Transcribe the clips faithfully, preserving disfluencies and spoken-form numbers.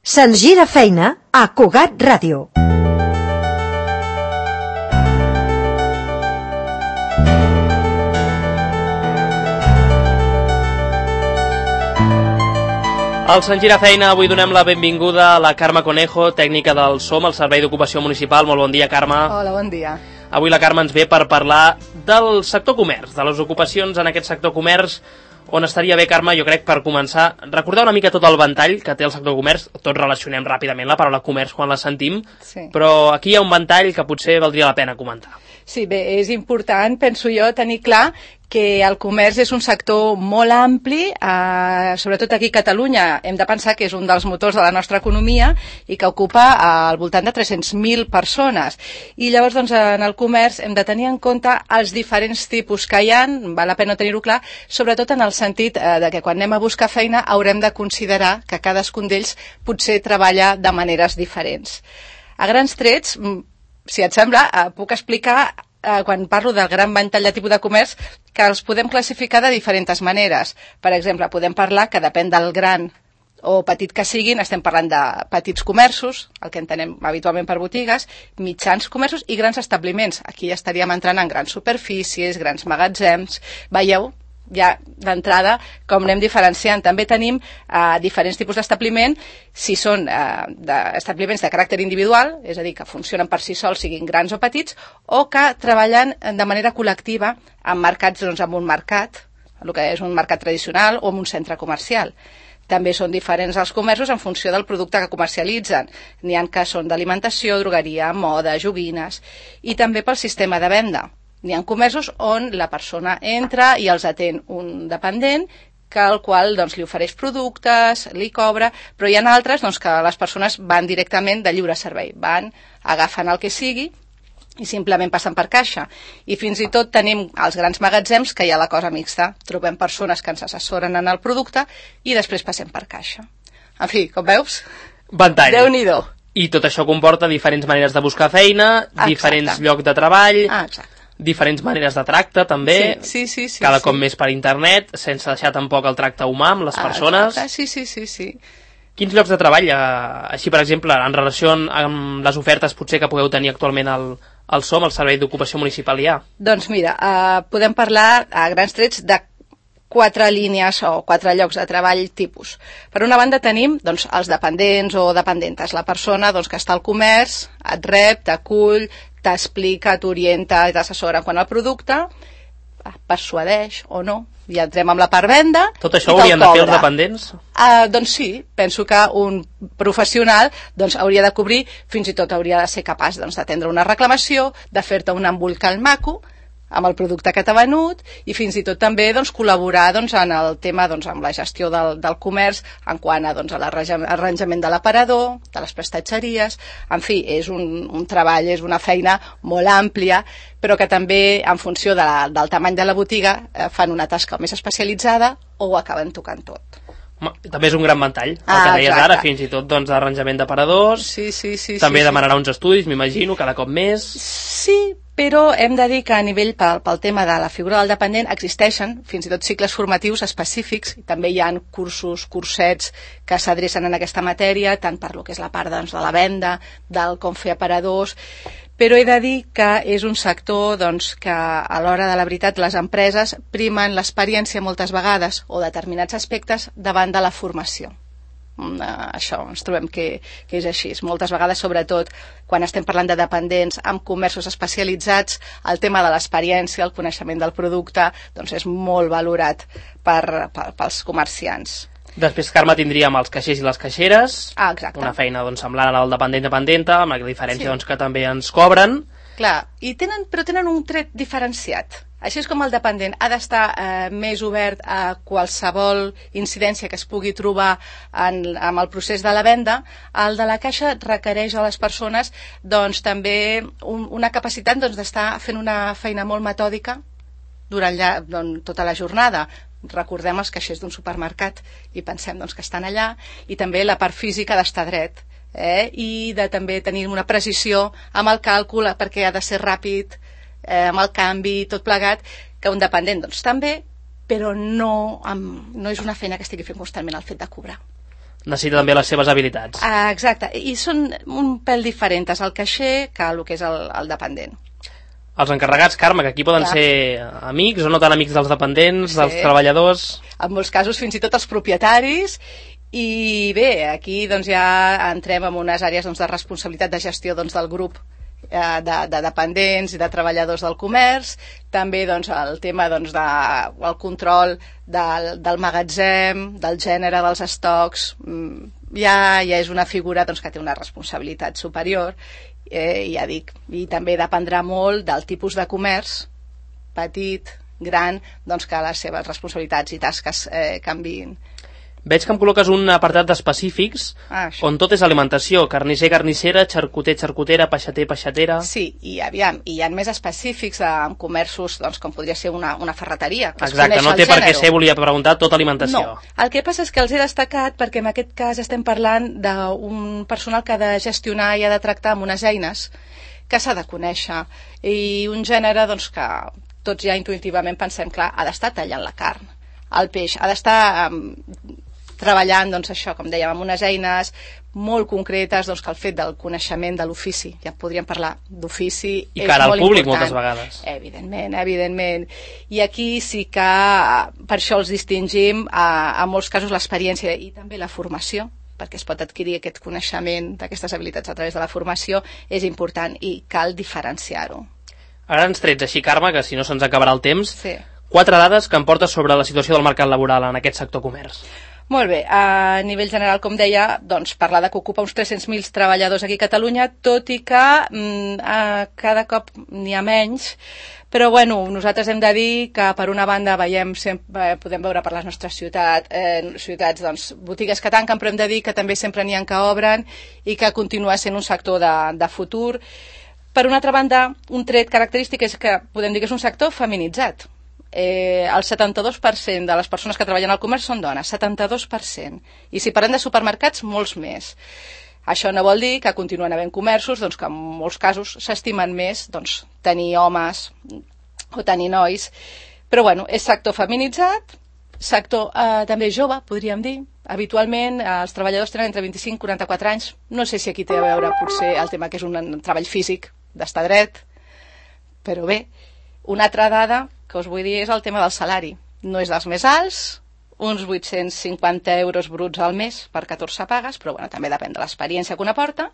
Se'ns gira feina a Cugat Ràdio. Al Se'ns gira feina avui donem la benvinguda a la Carme Conejo, tècnica del S O M, el Servei d'Ocupació Municipal. Molt bon dia, Carme. Hola, bon dia. Avui la Carme ens ve per parlar del sector comerç, de les ocupacions en aquest sector comerç, on estaria bé, Carme, jo crec, per començar, recordar una mica tot el ventall que té el sector comerç. Tots relacionem ràpidament la paraula comerç quan la sentim, sí. Però aquí hi ha un ventall que potser valdria la pena comentar. Sí, bé, és important, penso jo, tenir clar que el comerç és un sector molt ampli, eh, sobretot aquí a Catalunya hem de pensar que és un dels motors de la nostra economia i que ocupa eh, al voltant de tres-cents mil persones. I llavors, doncs, en el comerç hem de tenir en compte els diferents tipus que hi ha, val la pena tenir-ho clar, sobretot en el sentit eh, de que quan anem a buscar feina haurem de considerar que cadascun d'ells potser treballa de maneres diferents. A grans trets, si et sembla, eh, puc explicar, eh, quan parlo del gran ventall de tipus de comerç, que els podem classificar de diferents maneres. Per exemple, podem parlar que depèn del gran o petit que siguin, estem parlant de petits comerços, el que entenem habitualment per botigues, mitjans comerços i grans establiments. Aquí ja estaríem entrant en grans superfícies, grans magatzems. Veieu? Ja d'entrada, com anem diferenciant. També tenim eh, diferents tipus d'establiment, si són eh, establiments de caràcter individual, és a dir, que funcionen per si sols, siguin grans o petits, o que treballen de manera col·lectiva en mercats, doncs, en un mercat, el que és un mercat tradicional o en un centre comercial. També són diferents els comerços en funció del producte que comercialitzen. N'hi ha que són d'alimentació, drogueria, moda, joguines, i també pel sistema de venda. N'hi ha comerços on la persona entra i els atén un dependent, que al qual doncs, li ofereix productes, li cobra, però hi ha altres doncs, que les persones van directament de lliure servei, van, agafen el que sigui i simplement passen per caixa. I fins i tot tenim els grans magatzems que hi ha la cosa mixta. Trobem persones que ens assessoren en el producte i després passem per caixa. En fi, com veus? Ventall. Déu-n'hi-do. I tot això comporta diferents maneres de buscar feina, exacte. Diferents llocs de treball, ah, exacte. Diferents maneres de tracte, també, sí, sí, sí, sí, cada sí. cop més per internet, sense deixar tampoc el tracte humà amb les persones. Ah, sí, sí, sí, sí. Quins llocs de treball, eh, així per exemple, en relació amb les ofertes potser que pugueu tenir actualment al, al S O M, el Servei d'Ocupació Municipal, hi ha? Doncs mira, eh, podem parlar a grans trets de quatre línies o quatre llocs de treball tipus. Per una banda tenim doncs, els dependents o dependentes, la persona doncs, que està al comerç, et rep, t'acull, t'explica, t'orienta i t'assessora quant al producte, persuadeix o no, i entrem amb la part venda. Tot això ho haurien de fer els dependents? Uh, doncs sí, penso que un professional doncs, hauria de cobrir, fins i tot hauria de ser capaç doncs, d'atendre una reclamació, de fer-te un embolcall maco amb el producte que t'ha venut i fins i tot també doncs, col·laborar doncs, en el tema doncs, amb la gestió del, del comerç en quant a, doncs, a l'arranjament de l'aparador, de les prestatgeries. En fi, és un, un treball, és una feina molt àmplia, però que també en funció de la, del tamany de la botiga eh, fan una tasca més especialitzada o ho acaben tocant tot. També és un gran ventall, el ah, que deies exacte. Ara, fins i tot doncs, arranjament d'aparadors, sí, sí, sí, també sí, demanarà sí. uns estudis, m'imagino, cada cop més. Sí, però hem de dir que a nivell pel, pel tema de la figura del dependent existeixen fins i tot cicles formatius específics i també hi ha cursos, cursets que s'adrecen en aquesta matèria, tant per lo que és la part doncs, de la venda, del com fer aparadors, però he de dir que és un sector doncs, que a l'hora de la veritat les empreses primen l'experiència moltes vegades o determinats aspectes davant de la formació. Uh, això ens trobem que, que és així. Moltes vegades, sobretot quan estem parlant de dependents amb comerços especialitzats, el tema de l'experiència, el coneixement del producte doncs és molt valorat per, per, pels comerciants. Després, Carme, tindríem els caixers i les caixeres, ah, exacte. Una feina doncs, semblant al dependent-dependenta, amb la diferència sí. doncs, que també ens cobren. Clar, i tenen, però tenen un tret diferenciat. Així és com el dependent ha d'estar eh, més obert a qualsevol incidència que es pugui trobar en, en el procés de la venda, el de la caixa requereix a les persones doncs, també un, una capacitat doncs, d'estar fent una feina molt metòdica durant ja, doncs, tota la jornada. Recordem els caixers d'un supermercat i pensem doncs, que estan allà, i també la part física d'estar dret. Eh? I de també tenir una precisió amb el càlcul perquè ha de ser ràpid, eh, amb el canvi, tot plegat, que un dependent doncs també, però no, amb, no és una feina que estigui fent constantment el fet de cobrar. necessita també les seves habilitats. Ah, exacte, i són un pèl diferents el caixer que el que és el, el dependent. Els encarregats, Carme, que aquí poden Clar. ser amics o no tan amics dels dependents, Sí. dels treballadors... En molts casos fins i tot els propietaris, i bé, aquí doncs, ja entrem en unes àrees doncs, de responsabilitat de gestió doncs, del grup eh, de, de dependents i de treballadors del comerç, també doncs, el tema doncs, de, el control del, del magatzem, del gènere dels estocs, mm, ja, ja és una figura doncs, que té una responsabilitat superior, eh, ja dic, i també dependrà molt del tipus de comerç, petit, gran, doncs que les seves responsabilitats i tasques eh, canviïn. Veig que em col·loques un apartat d'específics Ah, això. on tot és alimentació, carnisser, carnissera, xarcuter, xarcutera, peixater, peixatera... Sí, i aviam, i hi ha més específics eh, en comerços, doncs, com podria ser una, una ferreteria. Que es Exacte, coneix no el té per què gènere. ser, volia preguntar, tota alimentació. No, el que passa és que els he destacat perquè en aquest cas estem parlant d'un personal que ha de gestionar i ha de tractar amb unes eines que s'ha de conèixer, i un gènere doncs, que tots ja intuïtivament pensem, clar, ha d'estar tallant la carn, el peix, ha d'estar um, treballant, doncs això, com dèiem, amb unes eines molt concretes, doncs que el fet del coneixement de l'ofici, ja podríem parlar d'ofici, I és cara al molt públic important. moltes vegades. Evidentment, evidentment. I aquí sí que per això els distingim a, a molts casos l'experiència i també la formació, perquè es pot adquirir aquest coneixement d'aquestes habilitats a través de la formació, és important i cal diferenciar-ho. A grans trets, així, Carme, que si no se'ns acabarà el temps, Sí. quatre dades que em portes sobre la situació del mercat laboral en aquest sector comerç. Molt bé, a nivell general, com deia, doncs parlar de que ocupa uns tres-cents mil treballadors aquí a Catalunya, tot i que mm, a cada cop n'hi ha menys, però bueno, nosaltres hem de dir que per una banda veiem sempre, podem veure per les nostres ciutat, eh, ciutats doncs, botigues que tanquen, però hem de dir que també sempre n'hi ha que obren i que continua sent un sector de, de futur. Per una altra banda, un tret característic és que podem dir que és un sector feminitzat. Eh, el setanta-dos per cent de les persones que treballen al comerç són dones, setanta-dos per cent. I si parlem de supermercats, molts més. Això no vol dir que continuen havent comerços doncs, que en molts casos s'estimen més doncs, tenir homes o tenir nois. Però bueno, és sector feminitzat, sector eh, també jove, podríem dir. Habitualment eh, els treballadors tenen entre vint-i-cinc i quaranta-quatre anys. No sé si aquí té a veure potser el tema que és un, un treball físic, d'estar dret, però bé, una altra dada que us vull dir és el tema del salari. No és dels més alts, uns vuit-cents cinquanta euros bruts al mes per catorze pagues, però bueno, també depèn de l'experiència que una porta.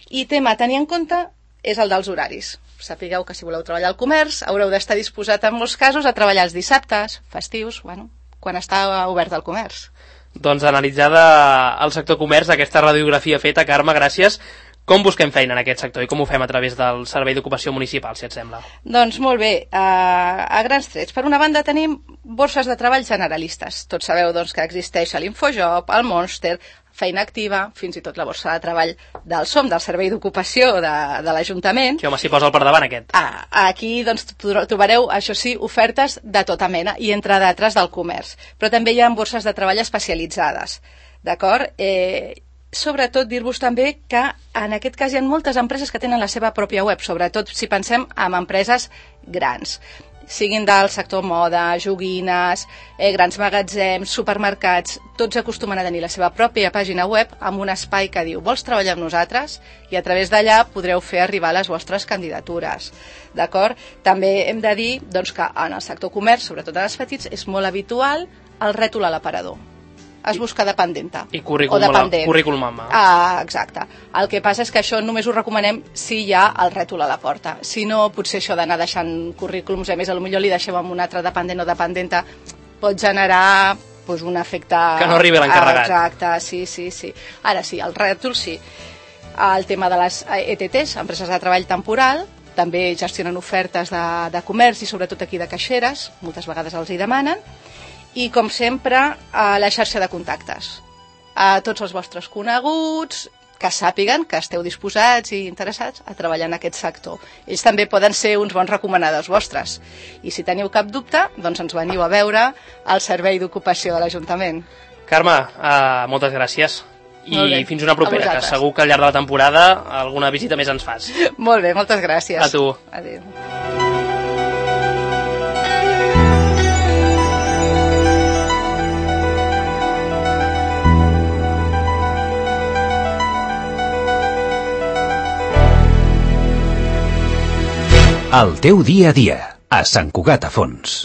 I tema a tenir en compte és el dels horaris. Sapigueu que si voleu treballar al comerç haureu d'estar disposat en molts casos a treballar els dissabtes, festius, bueno, quan està obert el comerç. Doncs analitzada el sector comerç, aquesta radiografia feta, Carme, gràcies. Com busquem feina en aquest sector i com ho fem a través del Servei d'Ocupació Municipal, si et sembla? Doncs molt bé, a, a grans trets. Per una banda tenim borses de treball generalistes. Tots sabeu doncs, que existeix l'Infojob, el Monster, Feina Activa, fins i tot la borsa de treball del SOM, del Servei d'Ocupació de, de l'Ajuntament. Que home, s'hi posa al per davant aquest. Ah, aquí doncs, trobareu, això sí, ofertes de tota mena i entre d'altres del comerç. Però també hi ha borses de treball especialitzades. D'acord? Eh, sobretot dir-vos també que en aquest cas hi ha moltes empreses que tenen la seva pròpia web, sobretot si pensem en empreses grans, siguin del sector moda, joguines, eh, grans magatzems, supermercats, tots acostumen a tenir la seva pròpia pàgina web amb un espai que diu vols treballar amb nosaltres? I a través d'allà podreu fer arribar les vostres candidatures. D'acord? També hem de dir doncs, que en el sector comerç, sobretot en els petits, és molt habitual el rètol a l'aparador. Es busca dependenta. I currículum, o dependent. currículum en mà. Ah, exacte. El que passa és que això només ho recomanem si hi ha el rètol a la porta. Si no, potser això d'anar deixant currículums, a més, potser li deixem amb un altre dependent o dependenta, pot generar pues, un efecte... Que no arribi l'encarregat. Exacte, sí, sí, sí. Ara sí, el rètol sí. El tema de les E T Ts, empreses de treball temporal, també gestionen ofertes de, de comerç i sobretot aquí de caixeres, moltes vegades els hi demanen, i com sempre a la xarxa de contactes, a tots els vostres coneguts que sàpiguen que esteu disposats i interessats a treballar en aquest sector. Ells també poden ser uns bons recomanadors vostres i si teniu cap dubte doncs ens veniu a veure al Servei d'Ocupació de l'Ajuntament. Carme, uh, moltes gràcies i fins una propera, que segur que al llarg de la temporada alguna visita més ens fas. Molt bé, moltes gràcies. A tu. Adéu. El teu dia a dia, a Sant Cugat a Fons.